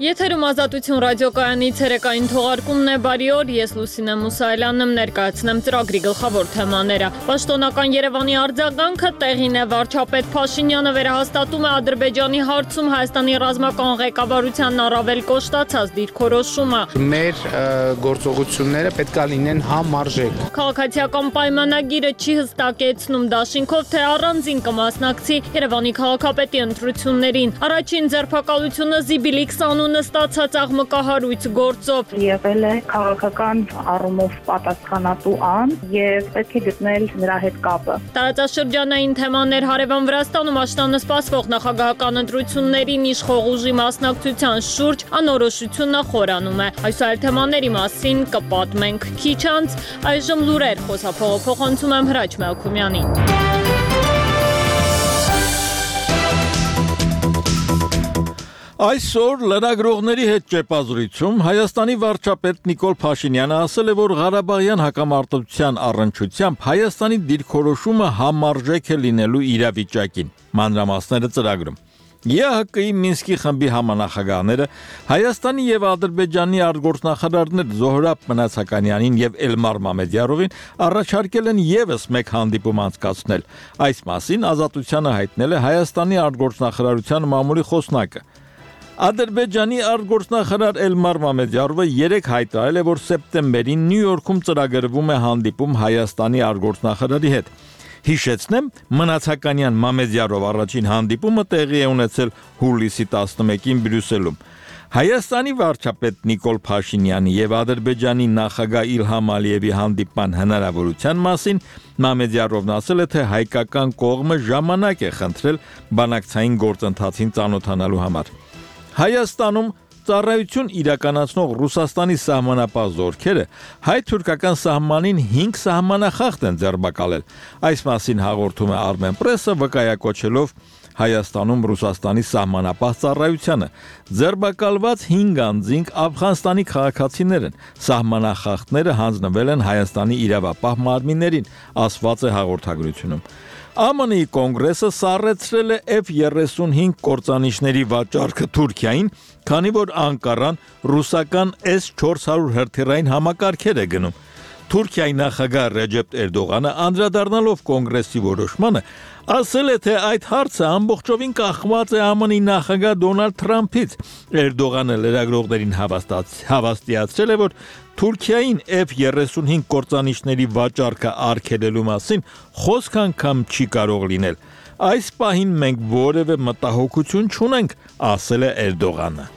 Եթերում Ազատություն ռադիոկայանի ցերեկային թողարկումն է, բարի օր, ես Լուսինե Մուսայելյանն եմ, ներկայացնեմ ծրագրի գլխավոր թեմաները։ Պաշտոնական Երևանի արձագանքը տեղին է, վարչապետ Փաշինյանը վերահաստատում է Ադրբեջանի հարցում Հայաստանի ռազմական ղեկավարությանն առավել կոշտացած դիրքորոշումը։ Մեր գործողությունները պետք է լինեն համարժեք։ Քաղաքացիական պայմանագիրը չի հստակեցնում դաշինքով, թե առանձին կմասնակցի Երևանի քաղաքապետի ընտրություններին։ Առաջին ձերբակալությունը Զիբիլիքս անունը ստացած աղմկահարույց գործով եղել է քաղաքական առումով պատասխանատու ան եւ պետք է գտնել նրա հետ կապը։ Տարածաշրջանային թեմաներ հարևան Վրաստանում աշնանը սպասվող նախագահական ընտրություններին իշխող ուժի մասնակցության շուրջ անորոշությունը խորանում է։ Այս այլ թեմաների մասին կպատմենք քիչ անց, այժմ լուրեր խոսափողը փոխանցում եմ Հրաչ Մելքումյանին։ Այսօր լրագրողների հետ ճեպազրույցում Հայաստանի վարչապետ Նիկոլ Փաշինյանը ասել է, որ Ղարաբաղյան հակամարտության առնչությամբ Հայաստանի դիրքորոշումը համարժեք է լինելու իրավիճակին։ Մանրամասները ծրագրում։ ԵԱՀԿ-ի Մինսկի խմբի համանախագահները Հայաստանի եւ Ադրբեջանի արտգործնախարարներ Զոհրաբ Մնացականյանին եւ Էլմար Մամեդյարովին առաջարկել են եւս մեկ հանդիպում անցկացնել։ Այս մասին Ազատությանը հայտնել է Հայաստանի արտգործնախարարության մամուլի խոսնակը։ Ադրբեջանի արտգործնախարար Էլմար Մամեդյարովը 3 հայտարարել է, որ սեպտեմբերին Նյու Յորքում ծրագրվում է հանդիպում Հայաստանի արտգործնախարարի հետ։ Հիշեցնեմ, Մնացականյան Մամեդյարով առաջին հանդիպումը տեղի է ունեցել հուլիսի 11-ին Բրյուսելում։ Հայաստանի վարչապետ Նիկոլ Փաշինյանի եւ Ադրբեջանի նախագահ Իլհամ Ալիևի հանդիպման հնարավորության մասին Մամեդյարովն ասել է, թե հայկական կողմը ժամանակ է խնդրել բանակցային գործընթացին ծանոթանալու համար։ Հայաստանում ծառայություն իրականացնող Ռուսաստանի սահմանապահ զորքերը հայ-թուրքական սահմանին 5 սահմանախախտ են ձերբակալել։ Այս մասին հաղորդում է Armenpress-ը, վկայակոչելով Հայաստանում Ռուսաստանի սահմանապահ ծառայությանը։ Ձերբակալված 5 անձինք Աֆղանստանի քաղաքացիներ են։ Սահմանախախտները հանձնվել են Հայաստանի իրավապահ մարմիններին, ասված է հաղորդագրությունում։ ԱՄՆ-ի կոնգրեսը սառեցրել է F-35 կործանիչների վաճառքը Թուրքիային, քանի որ Անկարան ռուսական S-400 հրթիռային համակարգեր է գնում։ Թուրքիայի նախագահ Ռեջեփ Էրդողանը անդրադառնալով կոնգրեսի որոշմանը ասել է, թե այդ հարցը ամբողջովին կախված է ԱՄՆ-ի նախագահ Դոնալդ Թրամփից։ Էրդողանը լրագրողներին հավաստիացրել է, որ Թուրքիային F-35 կործանիչների վաճառքը արգելելու մասին խոսք անգամ չի կարող լինել։ Այս պահին մենք որևէ մտահոգություն չունենք, ասել է Էրդողանը։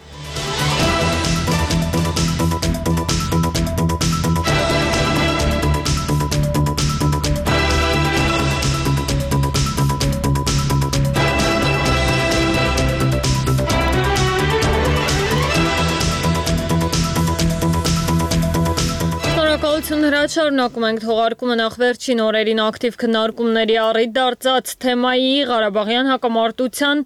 Շարունակում ենք թողարկումը նախ վերջին օրերին ակտիվ քննարկումների առիթ դարձած թեմայի Ղարաբաղյան հակամարտության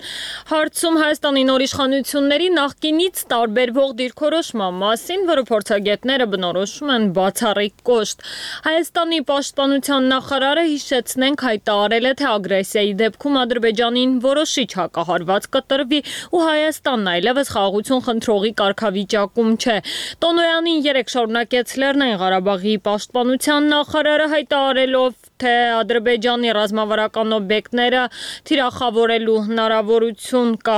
հարցում Հայաստանի նոր իշխանությունների նախկինից տարբերվող դիրքորոշման մասին, որը փորձագետները բնորոշում են բացառիկ կոշտ։ Հայաստանի պաշտպանության նախարարը հիշեցնենք հայտարարել է, թե ագրեսիայի դեպքում Ադրբեջանին որոշիչ հակահարված կտրվի ու Հայաստանն այլևս խաղաղություն խնդրողի կարգավիճակում չէ։ Տոնոյանին 3 շարունակեց Լեռնային Ղարաբաղի պաշտպանության նախարարը հայտարարելով, թե Ադրբեջանի ռազմավարական օբյեկտները թիրախավորելու հնարավորություն կա։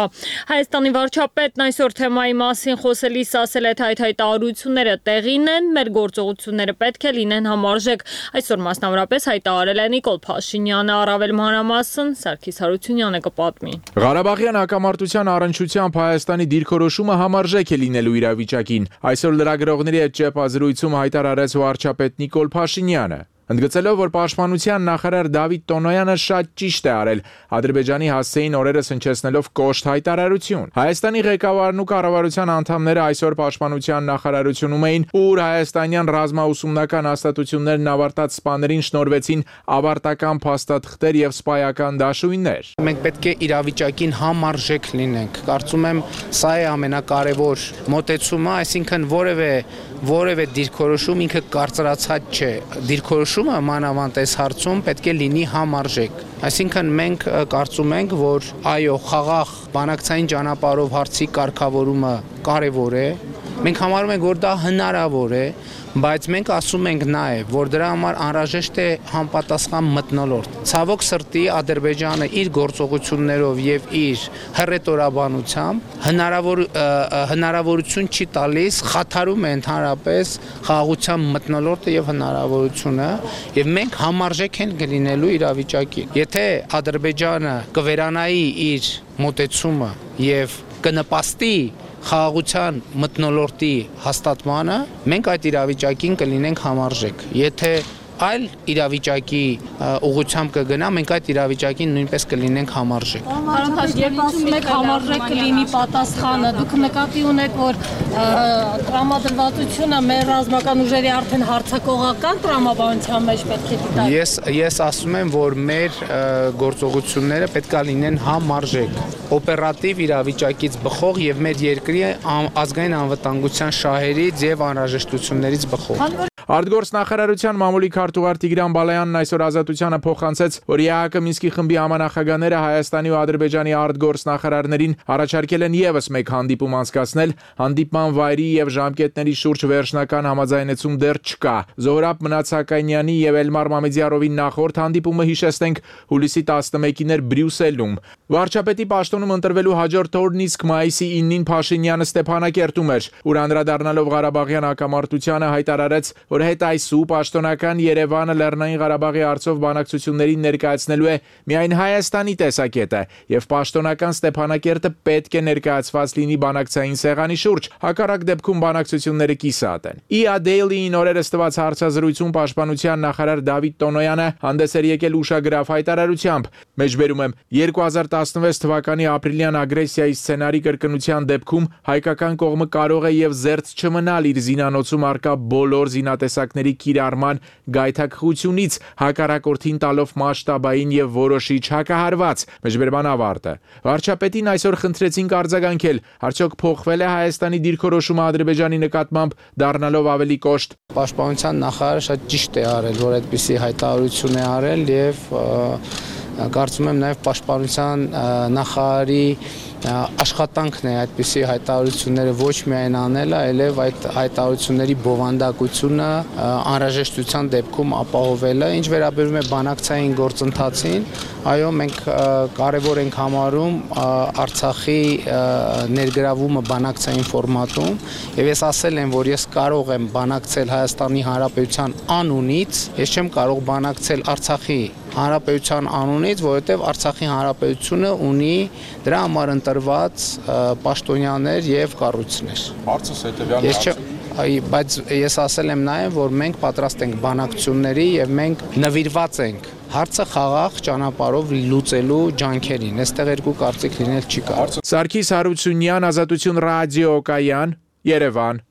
Հայաստանի վարչապետն այսօր թեմայի մասին խոսելիս ասել է, թե այդ հայտարարությունները տեղին են, մեր գործողությունները պետք է լինեն համարժեք։ Այսօր մասնավորապես հայտարարել է Նիկոլ Փաշինյանը, առավել մանրամասն Սարգիս Հարությունյանը կպատմի։ Ղարաբաղյան հակամարտության առնչությամբ Հայաստանի դիրքորոշումը համարժեք է լինելու իրավիճակին։ Այսօր լրագրողների հետ ճեպազրույցում հայտարարեց վարչապետ Նիկոլ Փաշինյանը։ Ընդգծելով, որ պաշտպանության նախարար Դավիթ Տոնոյանը շատ ճիշտ է արել, Ադրբեջանի հասցեին օրերս հնչեցնելով կոշտ հայտարարություն։ Հայաստանի ղեկավարն ու կառավարության անդամները այսօր պաշտպանության նախարարությունում էին, ուր հայաստանյան ռազմաուսումնական հաստատություններն ավարտած սպաներին շնորհվեցին ավարտական փաստաթղթեր եւ սպայական դաշույններ։ Մենք պետք է իրավիճակին համարժեք լինենք։ Կարծում եմ, սա է ամենակարևոր մոտեցումը, այսինքն որևէ որևէ դիրքորոշում ինքը կարծրացած չէ։ Դիրքորոշումը մանավանդ այս հարցում պետք է լինի համարժեք։ Այսինքն մենք կարծում ենք, որ այո, խաղաղ բանակցային ճանապարհով հարցի կարգավորումը կարևոր է։ Մենք համարում ենք, որ դա հնարավոր է, բայց մենք ասում ենք նաև, որ դրա համար անհրաժեշտ է համապատասխան մթնոլորտ։ Ցավոք սրտի Ադրբեջանը իր գործողություններով եւ իր հռետորաբանությամբ հնարավորություն չի տալիս, խաթարում է ընդհանրապես խաղաղության մթնոլորտը եւ հնարավորությունը, եւ մենք համարժեք ենք լինելու իրավիճակին։ Եթե Ադրբեջանը կվերանայի իր մոտեցումը եւ կնպաստի խաղաղության մթնոլորտի հաստատմանը, մենք այդ իրավիճակին կլինենք համարժեք։ Եթե այլ իրավիճակի ուղղությամբ կգնա, մենք այդ իրավիճակին նույնպես կլինենք համարժեք։ Երբ ասում եք համարժեք կլինի պատասխանը, դուք նկատի ունեք, որ տրամադրվածությունը մեր ռազմական ուժերի արդեն հարձակողական տրամաբանության մեջ պետք է դիտարկվի։ Ես ասում եմ, որ մեր գործողությունները պետք է լինեն համարժեք, օպերատիվ իրավիճակից բխող եւ մեր երկրի ազգային անվտանգության շահերից եւ անհրաժեշտություններից բխող։ Արտգործնախարարության մամուլի քարտուղար Տիգրան Բալայանն այսօր Ազատությանը փոխանցեց, որ ԵԱՀԿ Մինսկի խմբի համանախագահները Հայաստանի ու Ադրբեջանի արտգործնախարարներին առաջարկել են եւս մեկ հանդիպում անցկացնել, հանդիպման վայրի եւ ժամկետների շուրջ վերջնական համաձայնեցում դեռ չկա։ Զոհրաբ Մնացականյանի եւ Էլմար Մամեդյարովի նախորդ հանդիպումը հիշեցնենք հուլիսի 11-ին էր Բրյուսելում։ Վարչապետի պաշտոնում ընտրվելու հաջորդ օրն իսկ մայիսի 9-ին Փաշինյանը Ստեփանակերտում էր, ուր անդրադառնալով Ղարաբաղյան հակամարտությանը հայտարարեց, որ հետ այսու պաշտոնական Երևանը Լեռնային Ղարաբաղի հարցով բանակցություններին ներկայացնելու է միայն Հայաստանի տեսակետը եւ պաշտոնական Ստեփանակերտը պետք է ներկայացված լինի բանակցային սեղանի շուրջ, հակառակ դեպքում բանակցությունները կիսատ են։ IA Daily-ին օրերս տված հարցազրույցում պաշտպանության նախարար Դավիթ Տոնոյանը հանդես էր եկել ուշագրավ հայտարարությամբ։ Մեջբերում եմ 2016 թվականի ապրիլյան ագրեսիայի սցենարի կրկնության դեպքում հայկական կողմը կարող է եւ զերծ չմնալ իր զինանոցում արկա բոլոր զինատեսակների կիրառման գայթակղությունից, հակառակորդին տալով մասշտաբային եւ որոշիչ հակահարված։ Մեջբերման ավարտը։ Վարչապետին այսօր խնդրեցինք արձագանքել, արդյոք փոխվել է Հայաստանի դիրքորոշումը Ադրբեջանի նկատմամբ, դառնալով ավելի կոշտ։ Պաշտպանության նախարարը շատ ճիշտ է արել, որ այդպիսի հայտարարություն է արել եւ կարծում եմ նաև պաշտպանության նախարարի աշխատանքն է այդպիսի հայտարարությունները ոչ միայն անելը, այլև այդ հայտարարությունների բովանդակությունը անհրաժեշտության դեպքում ապահովելը, ինչ վերաբերում է բանակցային գործընթացին, այո, մենք կարևոր ենք համարում Արցախի ներգրավումը բանակցային ֆորմատում, եւ ես ասել եմ, որ ես կարող եմ բանակցել Հայաստանի Հանրապետության անունից, ես չեմ կարող բանակցել Արցախի Հանրապետության անունից, որովհետև Արցախի Հանրապետությունը ունի դրա համար ընտրված պաշտոնյաներ եւ կառույցներ։ Հարցս հետեւյալն է։ Բայց ես ասել եմ նաև, որ մենք պատրաստ ենք բանակցությունների եւ մենք նվիրված ենք հարցը խաղաղ ճանապարհով լուծելու ջանքերին։ Այստեղ երկու կարծիք լինել չի կարող։ Սարգիս Հարությունյան, Ազատություն ռադիոկայան, Երևան։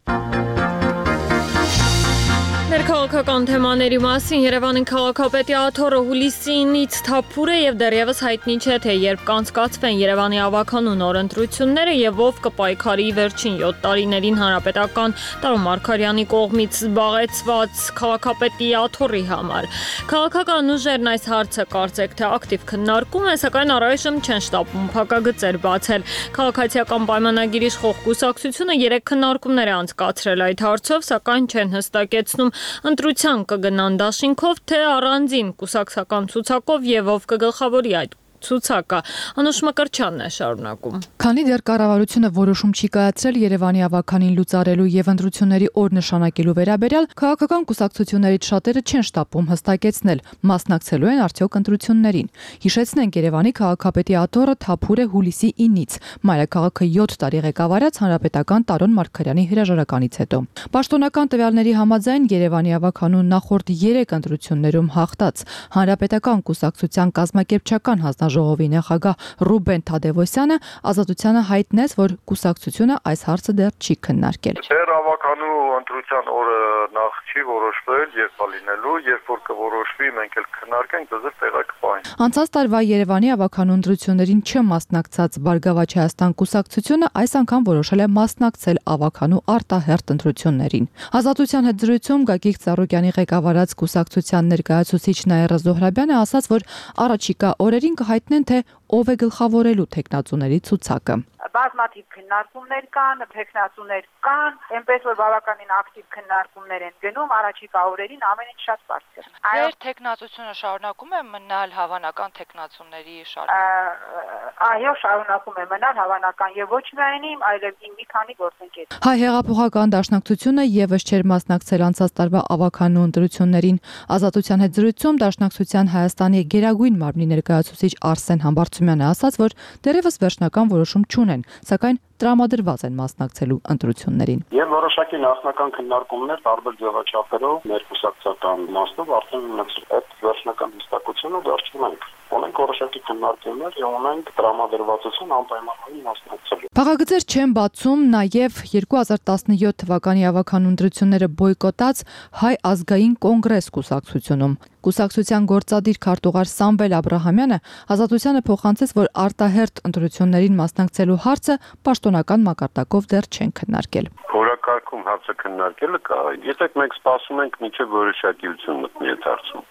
Ներքաղաքական թեմաների մասին Երևանին քաղաքապետի աթոռը հուլիսի 9-ից թափուր է եւ դեռևս հայտնի չէ, թե երբ կանցկացվեն Երևանի ավականու նոր ընտրությունները եւ ով կպայքարի վերջին 7 տարիներին հանրապետական Տարո Մարգարյանի կողմից զբաղեցված քաղաքապետի աթոռի համար։ Քաղաքական ուժերն այս հարցը կարծեք թե ակտիվ քննարկում են, սակայն առայժմ չեն շտապում փակագծեր բացել։ Քաղաքացիական պայմանագիրի իշխող կուսակցությունը 3 քննարկումներ է անցկացրել այդ հարցով, սակայն չեն հստակեցնում ընտրության կգնան դաշինքով, թե առանձին կուսակցական ցուցակով եւ ով կգլխավորի այդ ցուցակը։ Անուշ Մկրտչյանն է շարունակում։ Քանի դեռ կառավարությունը որոշում չի կայացրել Երևանի ավականին լուծարելու եւ ընտրությունների օր նշանակելու վերաբերյալ, քաղաքական կուսակցություններից շատերը չեն շտապում հստակեցնել, մասնակցելու են արդյոք ընտրություններին։ Հիշեցնենք, Երևանի քաղաքապետի աթոռը թափուր է հուլիսի 9-ից, մայրաքաղաքը 7 տարի ղեկավարած հանրապետական Տարոն Մարգարյանի հրաժարականից հետո։ Պաշտոնական տվյալների համաձայն Երևանի ավականու նախորդ 3 ընտրություններում հաղթած հանրապետական կուսակցության կազմակերպչական հանձնաժողովի նախագահ Ռուբեն Թադևոսյանը Ազատությանը հայտնեց, որ կուսակցությունը այս հարցը դեռ չի քննարկել։ Ձեր ավականու ընտրության օրը նախ չի որոշվել երբ լինելու, երբ որ կորոշվի, մենք էլ քննարկենք, դժվար տեղակ կպահենք։ Անցած տարվա Երևանի ավականու ընտրություններին չմասնակցած Բարգավաճ Հայաստան կուսակցությունը այս անգամ որոշել է մասնակցել ավականու արտահերթ ընտրություններին։ Ազատության հետ զրույցում Գագիկ Ծառուկյանի ղեկավարած կուսակցության ներկայացուցիչ Նաիրա Զոհրաբյանը ասաց, որ առաջիկա օրերին կհայտնեն, թե ով է գլխավորելու թեկնածուների ցուցակը։ Բազմաթիվ քննարկումներ կան, թեկնածուներ կան, այնպես որ բավականին ակտիվ քննարկումներ են գնում, առաջիկա օրերին ամեն ինչ շատ բարձր։ Ձեր թեկնածությունը շարունակում է մնալ հավանական թեկնածուների շարքում։ Այո, շարունակում է մնալ հավանական եւ ոչ միայն իմ, այլև իմ մի քանի գործընկեր։ Հայ հեղափոխական դաշնակցությունը եւս չէր մասնակցել անցած տարվա ավականու ընտրություններին։ Ազատության հետ զրույցում Դաշնակցության Հայաստանի գերագույն մարմնի ներկայացուցիչ Արսեն Համբարձումյանը ասաց, որ դեռևս վերջնական որոշում չունեն, սակայն տրամադրված են մասնակցելու ընտրություններին։ Եվ որոշակի նախնական քննարկումներ տարբեր ձևաչափերով ներկուսակցական իմաստով արդեն ունեցել։ Այդ վերջնական հստակությունը դեռ չունենք։ Ունենք որոշակի քննարկումներ եւ ունենք տրամադրվածություն անպայմանորեն մասնակցելու։ Փակագծեր չեն բացում նաև 2017 թվականի ավականու ընտրությունները բոյկոտած Հայ ազգային կոնգրես կուսակցությունում։ Կուսակցության գործադիր քարտուղար Սամվել Աբրահամյանը Ազատությանը փոխանցեց, որ արտահերթ ընտրություններին մասնակցելու հարցը պաշտոնական մակարդակով դեռ չեն քննարկել։ Օրակարգում հարցը քննարկելը կա։ Եթե մենք սպասում ենք մինչև որոշակիություն մտնի այդ հարցում,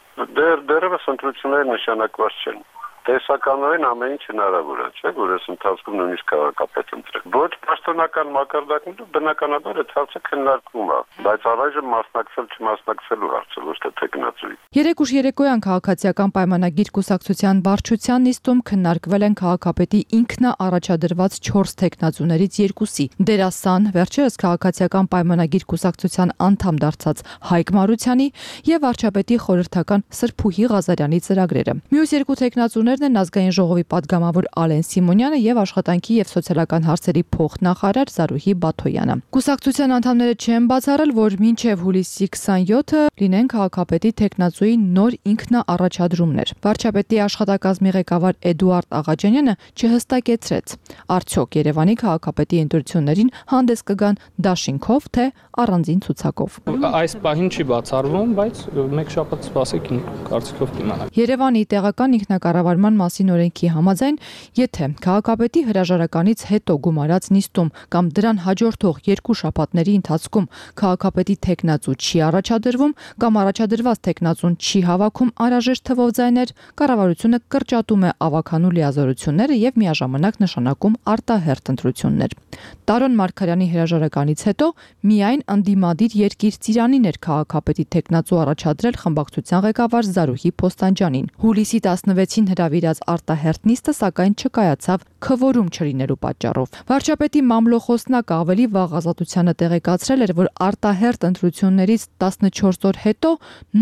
դեռևս ընտրությունները նշանակված չեն։ Տեսականորեն ամեն ինչ հնարավոր է, չէ՞, որ այս ընթացքում նույնիսկ քաղաքապետ ընտրել։ Ոչ պաշտոնական մակարդակներում բնականաբար այդ հարցը քննարկվում է, բայց առայժմ մասնակցել չմասնակցելու հարցը ոչ թե թեկնածուի։ Երեկ ուշ երեկոյան քաղաքացիական պայմանագիր կուսակցության վարչության նիստում քննարկվել են քաղաքապետի ինքնաառաջադրված 4 թեկնածուներից 2-ի՝ Դերասան, վերջերս քաղաքացիական պայմանագիր կուսակցության անդամ դարձած Հայկ Մարությանի եւ վարչապետի խորհրդական Սրփուհի Ղազարյանի ծրագրերը։ Մյուս 2 թեկնածուներն են ազգային ժողովի падգամավոր Ալեն Սիմոնյանը եւ աշխատանքի եւ սոցիալական հարցերի փոխնախարար Զարուհի Բաթոյանը։ Կուսակցության անդամները չեն բացառել, որ մինչեւ հուլիսի 27-ը լինեն քաղաքապետի թեկնածուի նոր ինքնաառաջադրումներ։ Վարչապետի աշխատակազմի ղեկավար Էդուարդ Աղաջանյանը չհստակեցրեց, արդյոք Երևանի քաղաքապետի ընտրություններին հանդես կգան դաշինքով, թե առանձին ցուցակով։ Այս պահին չի բացառվում, բայց մեկ շաբաթ սպասեք կարծիքով կիմանանք։ Երևանի տեղական ինքնակառավարման մասին օրենքի համաձայն, եթե քաղաքապետի հրաժարականից հետո գումարած նիստում կամ դրան հաջորդող 2 շաբաթների ընթացքում քաղաքապետի թեկնածու չի առաջադրվում կամ առաջադրված թեկնածուն չի հավաքում անհրաժեշտ թվով ձայներ, կառավարությունը կրճատում է ավականու լիազորությունները եւ միաժամանակ նշանակում արտահերթ ընտրություններ։ Տարոն Մարգարյանի հրաժարականից հետո միայն ընդդիմադիր երկիր Ծիրանին էր քաղաքապետի թեկնածու առաջադրել խմբակցության ղեկավար Զարուհի Փոստանջյանին։ Հուլիսի 16-ին հրավիրած արտահերթ նիստը սակայն չկայացավ քվորում չլինելու պատճառով։ Վարչապետի մամլոխոսնակը ավելի վաղ Ազատությանը տեղեկացրել էր, որ արտահերթ ընտրություններից 14 օր հետո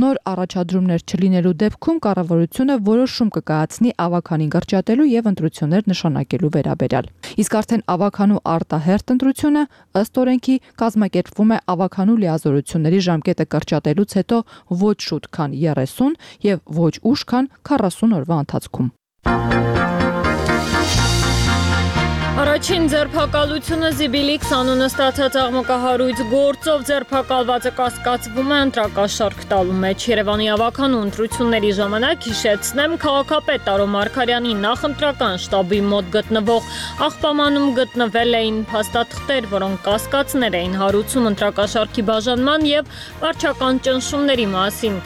նոր առաջադրումներ չլինելու դեպքում կառավարությունը որոշում կկայացնի ավականին կրճատելու եւ ընտրություններ նշանակելու վերաբերյալ։ Իսկ արդեն ավականու արտահերթ ընտրությունը ըստ օրենքի կազմակերպվում է ավականու լիազորությունների ժամկետը կրճատելուց հետո ոչ շուտ, քան 30 եւ ոչ ուշ, քան 40 օրվա ընթացքում։ Առաջին ձերբակալությունը Զիբիլիքս անունը ստացած աղմկահարույց գործով ձերբակալվածը կասկածվում է ընտրակաշարք տալու մեջ։ Երևանի ավականու ընտրությունների ժամանակ հիշեցնեմ, քաղաքապետ Տարո Մարգարյանի նախընտրական շտաբի մոտ գտնվող աղբամանում գտնվել էին փաստաթղթեր, որոնք կասկածներ էին հարուցում ընտրակաշարքի բաժանման եւ վարչական ճնշումների մասին։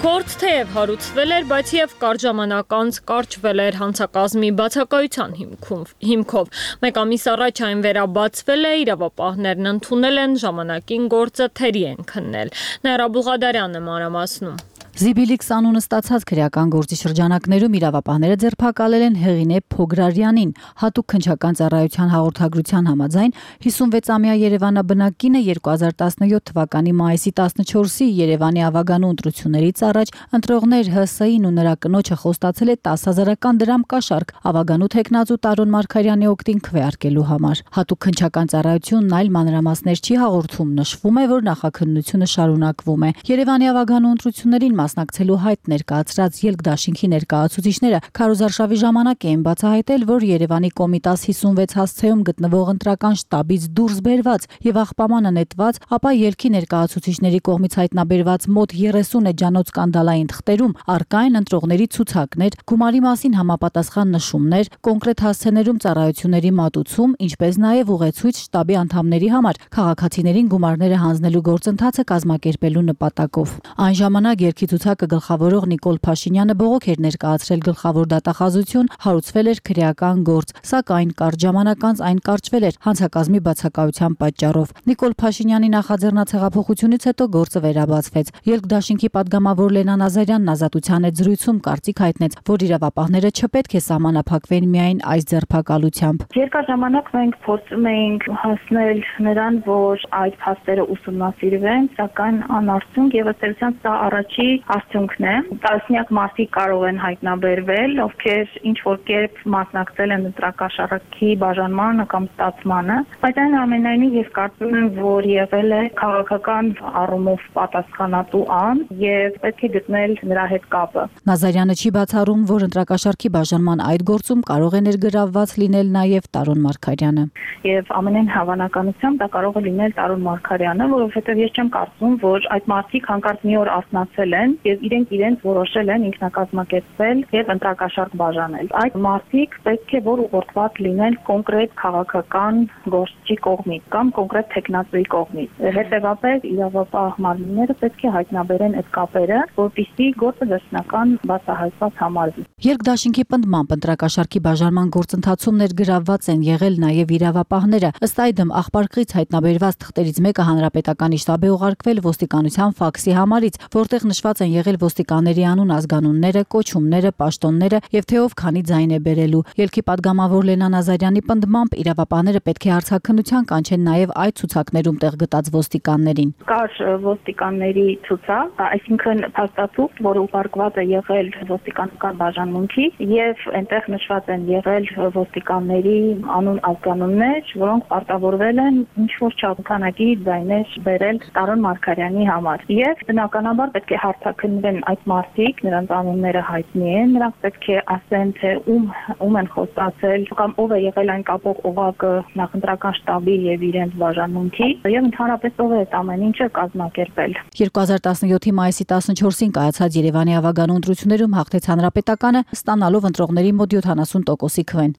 Գործ թեև հարուցվել էր, բայց եւ կարճ ժամանակ անց կարճվել էր հանցակազմի բացակայության հիմքով։ Մեկ ամիս առաջ այն վերաբացվել է, իրավապահներն ընդունել են, ժամանակին գործը թերի են քննել։ Նաիրա Բուղադարյանը մանրամասնում։ Զիբիլիքս անունը ստացած քրեական գործի շրջանակներում իրավապահները ձերբակալել են Հեղինե Փոգրարյանին։ Հատուկ քննչական ծառայության հաղորդագրության համաձայն 56-ամյա Երևանաբնակ կինը 2017 թվականի մայիսի 14-ի Երևանի ավագանու ընտրություններից առաջ ընտրողներ ՀՍ-ին ու նրա կնոջը խոստացել է 10,000 դրամ կաշառք ավագանու թեկնածու Տարոն Մարգարյանի օգտին քվեարկելու համար։ Հատուկ քննչական ծառայությունն այլ մանրամասներ չի հաղորդում, նշվում է, որ նախաքննությունը շարունակվում է։ Երևանի ավագանու ընտրություններին մասնակցելու հայտ ներկայացրած ելք-դաշինքի ներկայացուցիչները քարոզարշավի ժամանակ էին բացահայտել, որ Երևանի Կոմիտաս 56 հասցեում գտնվող ընտրական շտաբից դուրս բերված եւ աղբամանը նետված, ապա ելքի ներկայացուցիչների կողմից հայտնաբերված մոտ 30 էջանոց սկանդալային թղթերում առկա են ընտրողների ցուցակներ, գումարի մասին համապատասխան նշումներ, կոնկրետ հասցեներում ծառայությունների մատուցում, ինչպես նաեւ ուղեցույց շտաբի անդամների համար քաղաքացիներին գումարները հանձնելու գործընթացը կազմակերպելու նպատակով։ Այն ժամանակ ելքի ցուցակը գլխավորող Նիկոլ Փաշինյանը բողոք էր ներկայացրել գլխավոր դատախազություն, հարուցվել էր քրեական գործ, սակայն կարճ ժամանակ անց այն կարճվել էր հանցակազմի բացակայության պատճառով։ Նիկոլ Փաշինյանի նախաձեռնած հեղափոխությունից հետո գործը վերաբացվեց։ Ելք-դաշինքի падգամավոր Լենան Ազարյանն Ազատության հետ զրույցում կարծիք հայտնեց, որ իրավապահները չպետք է սահմանափակվեն միայն այս ձերբակալությամբ։ Երկար ժամանակ մենք փորձում էինք հասնել նրան, որ այդ փաստերը ուսումնասիրվեն, սակայն անարդյունք եւ ըստ էության սա առաջի արդյունքն է։ Տասնյակ մարդիկ կարող են հայտնաբերվել, ովքեր ինչ որ կերպ մասնակցել են ընտրակաշառքի բաժանմանը կամ ստացմանը, բայց այնուամենայնիվ ես կարծում եմ, որ եղել է քաղաքական առումով պատասխանատու ան եւ պետք է գտնել նրա հետ կապը։ Նազարյանը չի բացառում, որ ընտրակաշառքի բաժանման այդ գործում կարող է ներգրավված լինել նաեւ Տարոն Մարգարյանը։ Եվ ամենայն հավանականությամբ դա կարող է լինել Տարոն Մարգարյանը, որովհետեւ ես չեմ կարծում, որ այդ մարդիկ հանկարծ մի օր արթնացել են եւ իրենց որոշել են ինքնակազմակերպվել եւ ընտրակաշառք բաժանել։ Այդ մարդիկ պետք է որ ուղղորդված լինեն կոնկրետ քաղաքական գործչի կողմից կամ կոնկրետ տեխնացուի կողմից։ Հետևաբար իրավապահ մարմինները պետք է հայտնաբերեն այդ կապերը, որպեսզի գործը վերջնական բացահայտված համարվի։ Ելք-դաշինքի պնդմամբ ընտրակաշառքի բաժանման գործընթացում ներգրավված են եղել նաեւ իրավապահները։ Ըստ այդմ աղբարկղից հայտնաբերված թղթերից մեկը հանրապետականի շտաբ է ուղարկվել ոստիկանության ֆաքսի համարից, որտեղ նշված են եղել ոստիկանների անուն, ազգանունները, կոչումները, պաշտոնները եւ թե ով քանի ձայն է բերելու։ Ելքի падգամավոր Լենան Ազարյանի պնդմամբ իրավապահները պետք է հարցաքննության կանչեն նաեւ այդ ցուցակներում տեղ գտած ոստիկաններին։ Կար ոստիկանների ցուցակ, այսինքն փաստաթուղթ, որը ուղարկված է եղել ոստիկանական բաժանմունքի եւ այնտեղ նշված են եղել ոստիկանների անուն, ազգանուններ, որոնք պարտավորվել են ինչ որ չափանակի ձայներ բերել Տարոն Մարգարյանի համար։ Եվ բնականաբար պետք է հարցաքննվեն այդ մարդիկ, նրանց անունները հայտնի են, նրանք պետք է ասեն, թե ում են խոստացել կամ ով է եղել այն կապող օղակը նախընտրական շտաբի եւ իրենց բաժանմունքի եւ ընդհանրապես ով է այդ ամեն ինչը կազմակերպել։ 2017-ի մայիսի 14-ին կայացած Երևանի ավագանու ընտրություններում հաղթեց Հանրապետականը, ստանալով ընտրողների մոտ 70%-ի քվեն։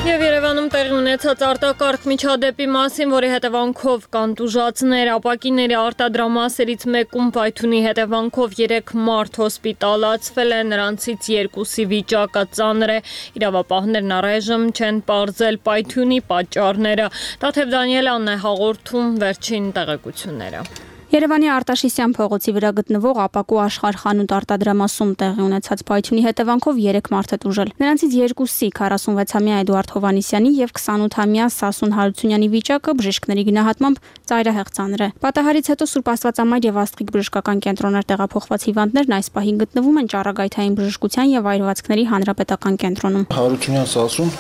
Եվ Երևանում տեղի ունեցած արտակարգ միջադեպի մասին, որի հետևանքով կան տուժածներ, ապակիների արտադրամասերից մեկում պայթյունի հետևանքով 3 մարդ հոսպիտալացվել է, նրանցից 2-ի վիճակը ծանր է։ Իրավապահներն առայժմ չեն պարզել պայթյունի պատճառները։ Տաթև Դանիելյանն է հաղորդում վերջին տեղեկությունները։ Երևանի Արտաշիսյան փողոցի վրա գտնվող ապակու Աշխարհ խանութ արտադրամասում տեղի ունեցած պայթյունի հետևանքով 3 մարդ է տուժել։ Նրանցից 2-ի 46-ամյա Էդուարդ Հովհաննիսյանի եւ 28-ամյա Սասուն Հարությունյանի վիճակը բժիշկների գնահատմամբ ծայրահեղ ծանր է։ Պատահարից հետո Սուրբ Աստվածամայր եւ Աստղիկ բժշկական կենտրոններ տեղափոխված հիվանդներն այս պահին գտնվում են Ճառագայթային բժշկության եւ այրվածքների հանրապետական կենտրոնում։ Հարությունյան Սասուն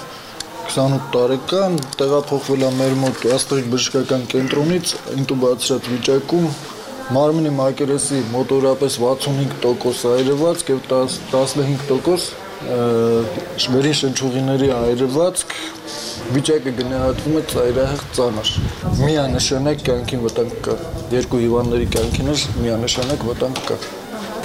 28 տարեկան տեղափոխվել է մեր մոտ Աստղիկ բժշկական կենտրոնից ինտուբացիոն վիճակում մարմնի մակերեսի մոտորապես 65% այրվածք եւ 15% վերին շնչուղիների այրվածք վիճակը գնահատվում է ծայրահեղ ծանր։ Միանշանակ կյանքին վտանգ կա։ Երկու հիվանդների կյանքին միանշանակ վտանգ կա։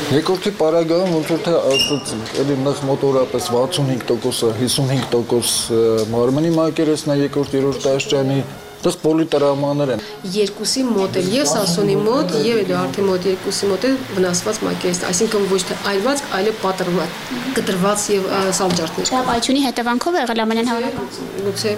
Երկրորդի պարագայում ոնց որ թե ասացինք, էլի նախ մոտորապես 65%-ը, 55% մարմնի մակերեսն է երկրորդ աստիճանի, այդտեղ պոլիտրավմաներ են։ 2-ի մոտ էլ եւ Սասունի մոտ եւ Էդուարդի մոտ 2-ի մոտ էլ վնասված մակերես, այսինքն ոչ թե այրված, այլ պատրված, կտրված եւ սալջարդներ։ Դա պայթյունի հետևանքով եղել ամենայն հավանական։ Գուցե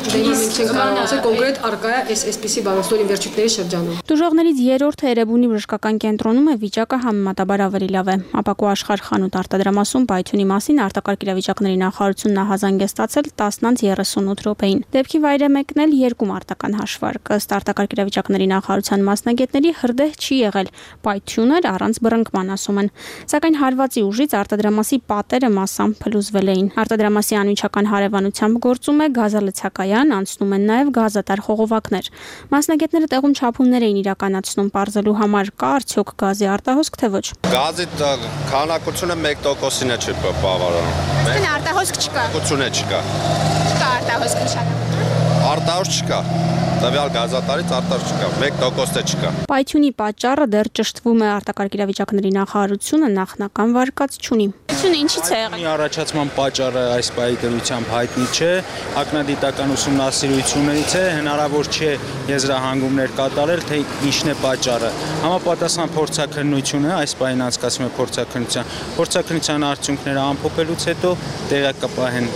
մենք չենք կարող ասել կոնկրետ արկա է այսպիսի բանաստորի վերջույթների շրջանում։ Տուժողներից երրորդը Էրեբունի բժշկական կենտրոնում է, վիճակը համեմատաբար ավելի լավ է։ Ապակու Աշխարհ խանութ արտադրամասում պայթյունի մասին արտակարգ իրավիճակների նախարարությունն ահազանգ է ստացել 10:38 րոպեին։ Դեպքի վայր է մեկնել 2 մարտական հաշվարկ։ Ըստ արտակարգ իրավիճակների նախարարության մասնագետների հրդեհ չի եղել, պայթյուն էր առանց բռնկման, ասում են։ Սակայն հարվածի ուժից արտադրամասի պատերը մասամբ փլուզվել էին։ Արտադրամասի անմիջական հարևանությամբ գործում է գազալցակայան, Փոգրարյան անցնում են նաև գազատար խողովակներ։ Մասնագետները տեղում չափումներ էին իրականացնում պարզելու համար կա արդյոք գազի արտահոսք թե ոչ։ Գազի քանակությունը 1%-ին է բավարարում։ Իսկ արտահոսք չկա։ Չկա։ Չկա արտահոսք նշանակում։ Արտահոսք չկա։ Տվյալ գազատարից արտահոսք չկա, 1%-ը չկա։ Պայթյունի պատճառը դեռ ճշտվում է արտակարգ իրավիճակների նախարարությունը նախնական վարկած չունի։ Պայթյունը ինչից է եղել։ Առաջացման պատճառը այս պահի դրությամբ հայտնի չէ, ակնադիտական ուսումնասիրություններից է, հնարավոր չէ եզրահանգումներ կատարել, թե ինչն է պատճառը։ Համապատասխան փորձաքննություն է, այս պահին անցկացվում է փորձաքննության արդյունքները ամփոփելուց հետո տեղակ կպահեն։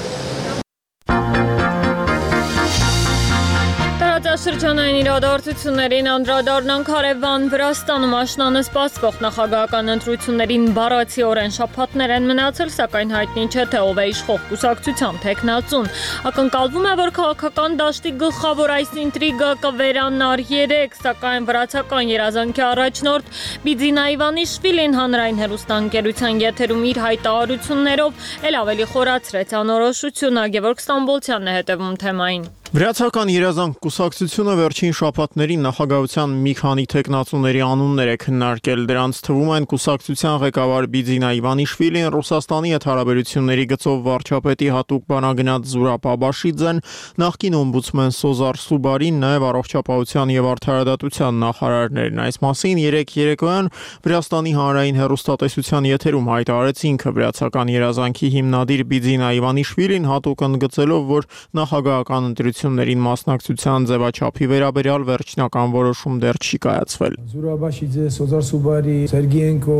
Շրջանային իրադարձություններին անդրադառնանք հարևան Վրաստանում աշնանը սպասվող նախագահական ընտրություններին բառացիորեն շաբաթներ են մնացել, սակայն հայտնի չէ, թե ով է իշխող կուսակցության թեկնածուն։ Ակնկալվում է, որ քաղաքական դաշտի գլխավոր այս ինտրիգը կվերանար 3, սակայն վրացական երազանքի առաջնորդ Բիձինա Իվանիշվիլին հանրային հեռուստաընկերության եթերում իր հայտարարություններով էլ ավելի խորացրեց անորոշությունը։ Գևորգ Ստամբոլցյանն է հետևում թեմային։ Վրացական երազանք կուսակցությունը վերջին շաբաթներին նախագահության մի քանի թեկնածուների անուններ է քննարկել։ Դրանց թվում են կուսակցության ղեկավար Բիձինա Իվանիշվիլին, Ռուսաստանի հետ հարաբերությունների գծով վարչապետի հատուկ բանագնաց Զուրաբ Աբաշիձեն, նախկին օմբուդսմեն Սոզար Սուբարին, նաև առողջապահության եւ արդարադատության նախարարներն։ Այս մասին երեկոյան Վրաստանի հանրային հեռուստատեսության եթերում հայտարարեց ինքը վրացական երազանքի հիմնադիր Բիձինա Իվանիշվիլին, հատուկ ընդգծելով, որ նախագահական ընտրություններին մասնակցության ձևաչափի վերաբերյալ վերջնական որոշում դեռ չի կայացվել։ Զուրաբաշիձե, Սոզար Սուբարի, Սերգեյենկո,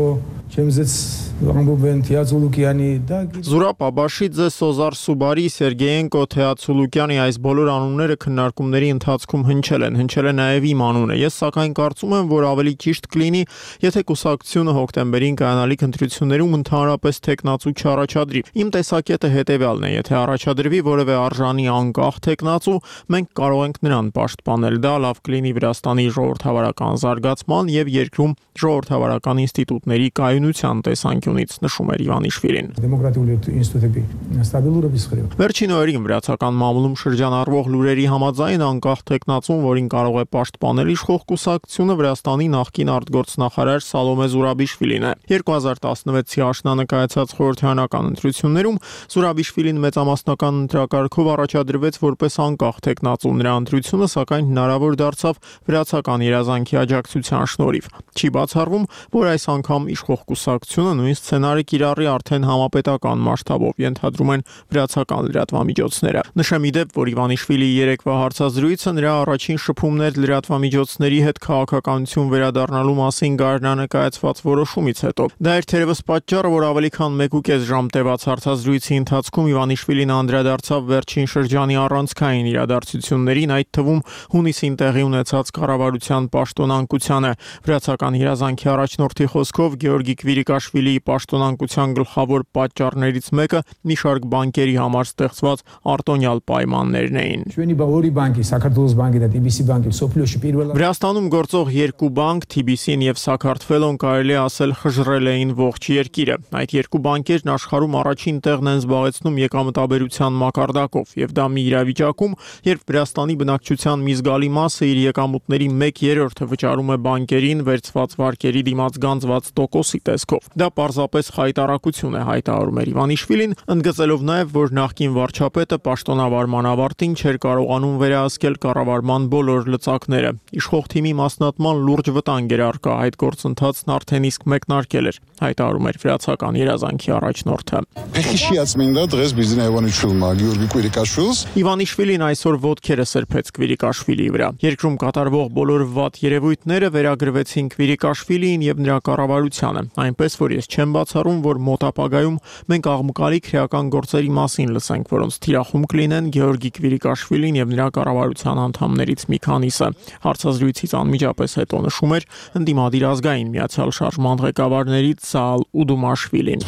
Չեմզեց ամբողջ Թիացուլուկյանի Զուրաբ Աբաշիձե, Սոզար Սուբարի, Սերգեյենկո, Թիացուլուկյանի այս բոլոր անունները քննարկումների ընթացքում հնչել է նաև իմ անունը։ Ես սակայն կարծում եմ, որ ավելի ճիշտ կլինի, եթե կուսակցությունը հոկտեմբերին կայանալիք ընտրություններում ընդհանրապես թեկնածու չառաջադրի։ Իմ տեսակետը հետևյալն է, եթե առաջադրվի որևէ արժանի անկախ թեկնածու, մենք կարող ենք նրան պաշտպանել։ Դա լավ կլինի Վրաստանի ժողովրդավարական զարգացման եւ երկրում ժողովրդավարական ինստիտուտների կայունության տեսանկյունից, նշում էր Իվանիշվիլին։ Վերջին օրերին վրացական մամուլում շրջանառվող լուրերի համաձայն անկախ թեկնածուն, որին կարող է պաշտպանել իշխող կուսակցությունը, Վրաստանի նախկին արտգործնախարար Սալոմե Զուրաբիշվիլին է։ 2016-ի աշնանը կայացած խորհրդարանական ընտրություններում Զուրաբիշվիլին մեծամասնական ընտրակարգով առաջադրվեց որպես անկախ թեկնածու։ Նրա ընտրությունը սակայն հնարավոր դարձավ վրացական երազանքի աջակցության շնորհիվ։ Չի բացառվում, որ այս անգամ իշխող կուսակցությունը նույն սցենարը կիրառի արդեն համապետական մասշտաբով, ենթադրում են վրացական լրատվամիջոցները։ Նշեմ ի դեպ, որ Իվանիշվիլիի երեկվա հարցազրույցը նրա առաջին շփումներ լրատվամիջոցների հետ քաղաքականություն վերադառնալու մասին գարնանը կայացված որոշումից հետո։ Դա էր թերևս պատճառը, որ ավելի քան 1.5 ժամ տևած հարցազրույցի ընթացքում Իվանիշվիլին անդրադարձավ վերջին շրջանի առանցքային իրադարձություններին, այդ թվում հունիսին տեղի ունեցած կառավարության պաշտոնանկությանը։ Վրացական երազանքի առաջնորդի խոսքով Գեորգի Կվիրիկաշվիլիի պաշտոնանկության գլխավոր պատճառներից մեկը մի շարք բանկերի համար ստեղծված արտոնյալ պայմաններն էին։ Վրաստանում գործող երկու բանկ, TBC-ն եւ Սաքարթվելոն, կարելի է ասել, խժռել էին ողջ երկիրը։ Այդ երկու բանկերն աշխարհում առաջին տեղն են զբաղեցնում եկամտաբերության մակարդակով, եւ դա մի իրավիճակում, երբ Վրաստանի բնակչության մի զգալի մասը իր եկամուտների 1/3-ը վճարում է բանկերին վերցված վարկերի դիմաց գանձված տոկոսի տեսքով։ Դա պարզապես խայտառակություն է, հայտարարում էր Իվանիշվիլին, ընդգծելով նաև, որ նախկին վարչապետը պաշտոնավարման ավարտին չէր կարողանում վերահսկել կառավարման բոլոր լծակները։ Իշխող թիմի մասնատման լուրջ վտանգ էր առկա, այդ գործընթացն արդեն իսկ մեկնարկել էր, հայտարարում էր վրացական երազանքի առաջնորդը։ Իվանիշվիլին այսօր ոտքերը սրբեց Կվիրիկաշվիլիի վրա։ Երկրում կատարվող բոլոր վատ երևույթները վերագրվեցին Կվիրիկաշվիլիին եւ նրա կառավարությանը, այնպես որ ես չեմ բացառում, որ մոտ ապագայում մենք աղմկալի քրեական գործերի մասին լսենք, որոնց թիրախում կլինեն Գեորգի Կվիրիկաշվիլին եւ նրա կառավարության անդամներից մի քանիսը։ Հարցազրույցից անմիջապես հետո նշում էր ընդդիմադիր ազգային միացյալ շարժման ղեկավարներից Սաալ Ուդումաշվիլին։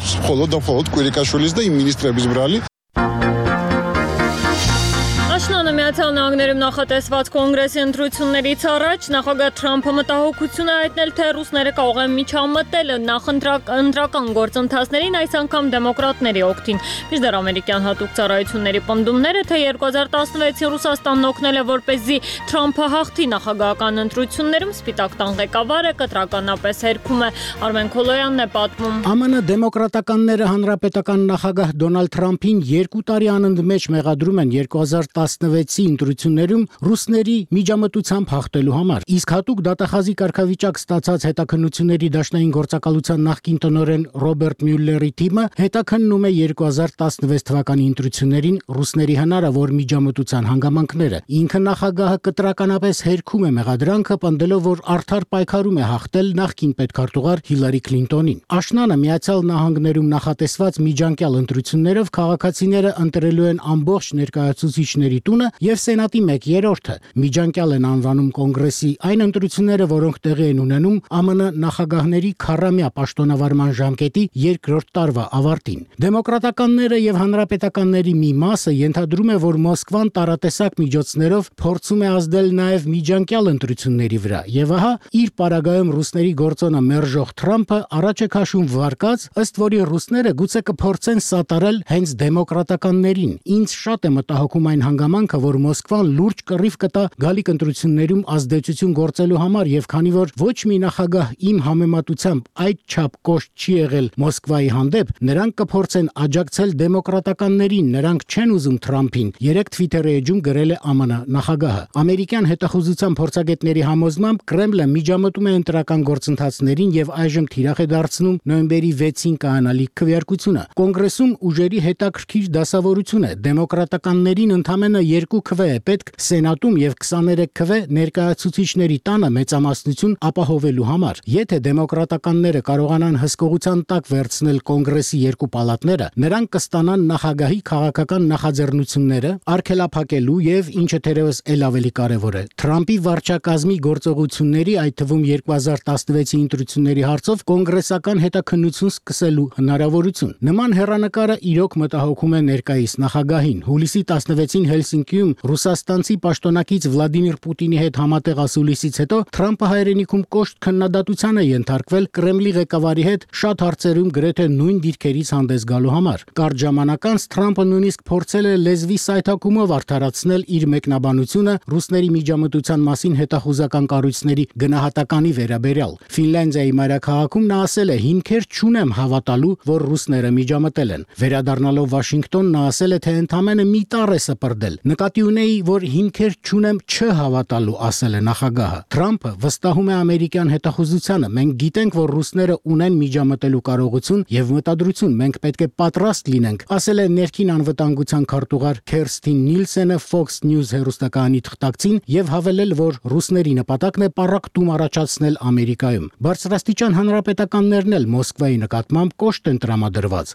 Աշնանը Միացյալ Միացյալ Նահանգներում նախատեսված կոնգրեսի ընտրություններից առաջ նախագահ Թրամփը մտահոգություն է հայտնել, թե ռուսները կարող են միջամտել ընտրական գործընթացներին, այս անգամ դեմոկրատների օգտին։ Մինչդեռ ամերիկյան հատուկ ծառայությունների պնդումները, թե 2016-ին Ռուսաստանն օգնել է, որպեսզի Թրամփը հաղթի նախագահական ընտրություններում, Սպիտակ տան ղեկավարը կտրականապես հերքում է։ Արմեն Քոլոյանն է պատմում։ ԱՄՆ դեմոկրատականները հանրապետական նախագահ Դոնալդ Թրամփին 2 տարի անընդմեջ մեղադրում են 2016-ի ընտրություններում ռուսների միջամտությամբ հաղթելու համար։ Իսկ հատուկ դատախազի կարգավիճակ ստացած հետաքննությունների դաշնային գործակալության նախկին տնօրեն Ռոբերտ Մյուլլերի թիմը հետաքննում է 2016 թվականի ընտրություններին ռուսների հնարավոր միջամտության հանգամանքները։ Ինքը նախագահը կտրականապես հերքում է մեղադրանքը, պնդելով, որ արդար պայքարում է հաղթել նախկին պետքարտուղար Հիլարի Քլինտոնին։ Աշնանը Միացյալ Նահանգներում նախատեսված միջանկյալ ընտրություններով քաղաքացիները ընտրելու են ամբողջ ներկայացուցիչների տունը եւ Սենատի 1/3-ը։ Միջանկյալ են անվանում կոնգրեսի այն ընտրությունները, որոնք տեղի են ունենում ԱՄՆ նախագահների 40-ամյա պաշտոնավարման ժամկետի 2-րդ տարվա ավարտին։ Դեմոկրատականները եւ հանրապետականների մի մասը ենթադրում է, որ Մոսկվան տարատեսակ միջոցներով փորձում է ազդել նաեւ միջանկյալ ընտրությունների վրա։ Եվ ահա իր պարագայում ռուսների գործոնը մերժող Թրամփը առաջ է քաշում վարկած, ըստ որի ռուսները գուցե կփորձեն սատարել հենց դեմոկրատականներին։ Ինձ շատ է մտահոգում այն հանգամանքը, որ Մոսկվան լուրջ կռիվ կտա գալիք ընտրություններում ազդեցություն գործելու համար, եւ քանի որ ոչ մի նախագահ իմ համեմատությամբ այդ չափ կոշտ չի եղել Մոսկվայի հանդեպ, նրանք կփորձեն աջակցել դեմոկրատականներին, նրանք չեն ուզում Թրամփին, 3 Twitter-ի էջում գրել է ԱՄՆ նախագահը։ Ամերիկյան հետախուզության փորձագետների համոզմամբ Կրեմլը միջամտում է ընտրական գործընթացներին եւ այժմ թիրախ է դարձնում նոյեմբերի 6-ին կայանալիք քվեարկությունը։ Կոնգրեսում ուժերի հետաքրքիր դասավորություն է։ Դեմոկրատականներին ընդամենը 2 քվե է պետք Սենատում եւ 23 քվե ներկայացուցիչների տանը մեծամասնություն ապահովելու համար։ Եթե դեմոկրատականները կարողանան հսկողության տակ վերցնել կոնգրեսի 2 պալատները, նրանք կստանան նախագահի քաղաքական նախաձեռնությունները արգելափակելու եւ, ինչը թերևս ել ավելի կարեւոր է, Թրամփի վարչակազմի գործողությունների, այդ թվում 2016-ի ընտրությունների հարցով կոնգրեսական հետաքննություն սկսելու հնարավորություն։ Նման հեռանկարը իրոք մտահոգում է ներկայիս նախագահին։ Հուլիսի 16-ին Հելսինկիում ռուսաստանցի պաշտոնակից Վլադիմիր Պուտինի հետ համատեղ ասուլիսից հետո Թրամփը հայրենիքում կոշտ քննադատության է ենթարկվել Կրեմլի ղեկավարի հետ շատ հարցերում գրեթե նույն դիրքերից հանդես գալու համար։ Կարճ ժամանակ անց Թրամփը նույնիսկ փորձել է լեզվի սայթակումով արդարացնել իր մեկնաբանությունը ռուսների միջամտության մասին հետախուզական կառույցների գնահատականի վերաբերյալ։ Ֆինլանդիայի մայրաքաղաքում նա ասել է. «Հիմքեր չունեմ հավատալու, որ ռուսները միջամտել են»։ Վերադառնալով Վաշինգտոն նա ասել է, թե ընդամենը մի տառ է սպրդել։ Նկատի ունեի, որ հիմքեր չունեմ չհավատալու, ասել է նախագահը։ Թրամփը վստահում է ամերիկյան հետախուզությանը. «Մենք գիտենք, որ ռուսները ունեն միջամտելու կարողություն եւ մտադրություն, մենք պետք է պատրաստ լինենք», ասել է ներքին անվտանգության քարտուղար Քերստին Նիլսենը Fox News հեռուստակայանի թղթակցին եւ հավելել, որ ռուսների նպատակն է պառակտում առաջացնել Ամերիկայում։ Բարձրաստիճան հանրապետականներն էլ Մոսկվայի նկատմամբ կոշտ են տրամադրված։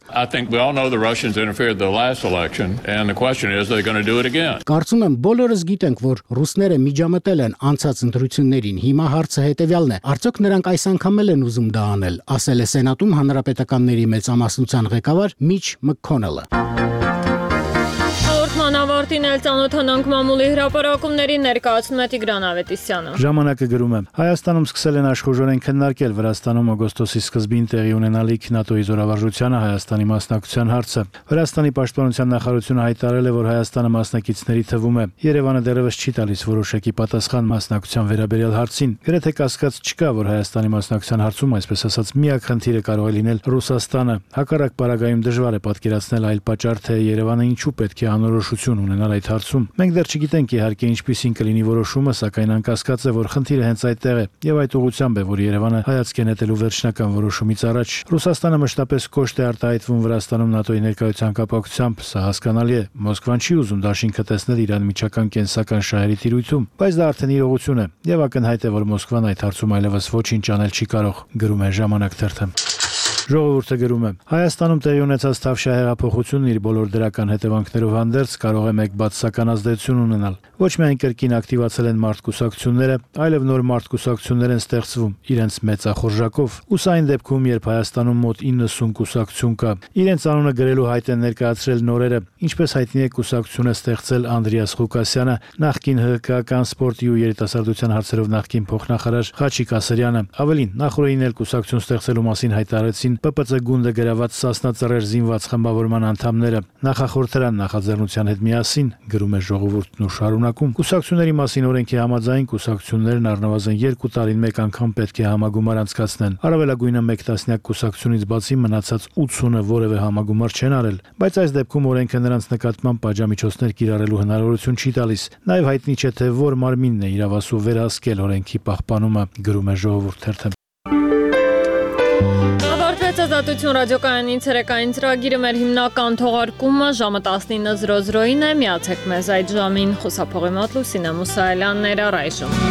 Կարծում եմ բոլորս գիտենք, որ ռուսները միջամտել են անցած ընտրություններին։ Հիմա հարցը հետեւյալն է. արդյոք նրանք այս անգամ էլ են ուզում դա անել, ասել է Սենատում հանրապետականների մեծամասնության ղեկավար Միչ Մքքոնելը։ Ավարտին էլ ծանոթանանք մամուլի հրապարակումներին, ներկայացնում է Տիգրան Ավետիսյանը։ Ժամանակը գրում է. Հայաստանում սկսել են աշխուժորեն քննարկել Վրաստանում օգոստոսի սկզբին տեղի ունենալիք ՆԱՏՕ-ի զորավարժությանը Հայաստանի մասնակցության հարցը։ Վրաստանի պաշտպանության նախարարությունը հայտարարել է, որ Հայաստանը մասնակիցների թվում է։ Երևանը դեռևս չի տալիս որոշակի պատասխան մասնակցության վերաբերյալ հարցին։ Գրեթե կասկած չկա, որ Հայաստանի մասնակցության հարցում, այսպես ասած, միակ խնդիրը կարող է լինել Ռուսաստանը։ Հակառակ պարագայում դժվար է պատկերացնել այլ պատճառ, թե Երևանը ինչու պետք է անորոշություն ունենալ այդ հարցում։ Մենք դեռ չգիտենք իհարկե ինչպիսին կլինի որոշումը, սակայն անկասկած է, որ խնդիրը հենց այդտեղ է եւ այդ ուղղությամբ է, որ Երևանը հայացք է նետելու վերջնական որոշումից առաջ։ Ռուսաստանը մշտապես կոշտ է արտահայտվում Վրաստանում ՆԱՏՕ-ի ներկայության կապակցությամբ, սա հասկանալի է։ Մոսկվան չի ուզում դաշինքը տեսնել իր անմիջական կենսական շահերի տիրույթում, բայց դա արդեն իրողություն է եւ ակնհայտ է, որ Մոսկվան այդ հարցում այլևս ոչինչ անել չի կարող, գրում է Ժամանակ թերթը։ Ժողովուրդը գրում է. Հայաստանում տեղի ունեցած Թավշյա հեղափոխությունն իր բոլոր դրական հետևանքներով հանդերձ կարող է մեկ բացասական ազդեցություն ունենալ։ Ոչ միայն կրկին ակտիվացել են մարդկուսակցությունները, այլև նոր մարդկուսակցություններ են ստեղծվում իրենց մեծախորժակով։ Ու սա այն դեպքում, երբ Հայաստանում մոտ 90 կուսակցություն կա, իրենց անունը գրելու հայտ են ներկայացրել նորերը, ինչպես հայտնի է կուսակցությունը ստեղծել Անդրեաս Ղուկասյանը, նախկին ՀԿ-ական սպորտի ու երիտասարդության հարցերով նախկին փոխնախարար Խաչիկ Ասրյանը։ Ավելին, նախորդին էլ կուսակցություն ստեղծելու մասին հայտարարեցին ՊՊՑ գունդը գրաված Սասնա ծռեր զինված խմբավորման անդամները նախախորհրդարան նախաձեռնության հետ միասին, գրում է Ժողովուրդն ու շարունակում։ Կուսակցությունների մասին օրենքի համաձայն կուսակցություններն առնվազն 2 տարին մեկ անգամ պետք է համագումար անցկացնեն։ Առավելագույնը 1 տասնյակ կուսակցությունից բացի մնացած 80-ը որևէ համագումար չեն արել, բայց այս դեպքում օրենքը նրանց նկատմամբ պատժամիջոցներ կիրառելու հնարավորություն չի տալիս։ Նաև հայտնի չէ, թե որ մարմինն է իրավասու վերահսկել օրենքի պահպանումը, գրում է Ժողովուրդ թերթը։ Ազատություն ռադիոկայանի ցերեկային ծրագիրը մեր հիմնական թողարկումը ժամը 19:00-ին է, միացեք մեզ այդ ժամին։ Խոսափողի մոտ Լուսինե Մուսայելյանն էր առայժմ։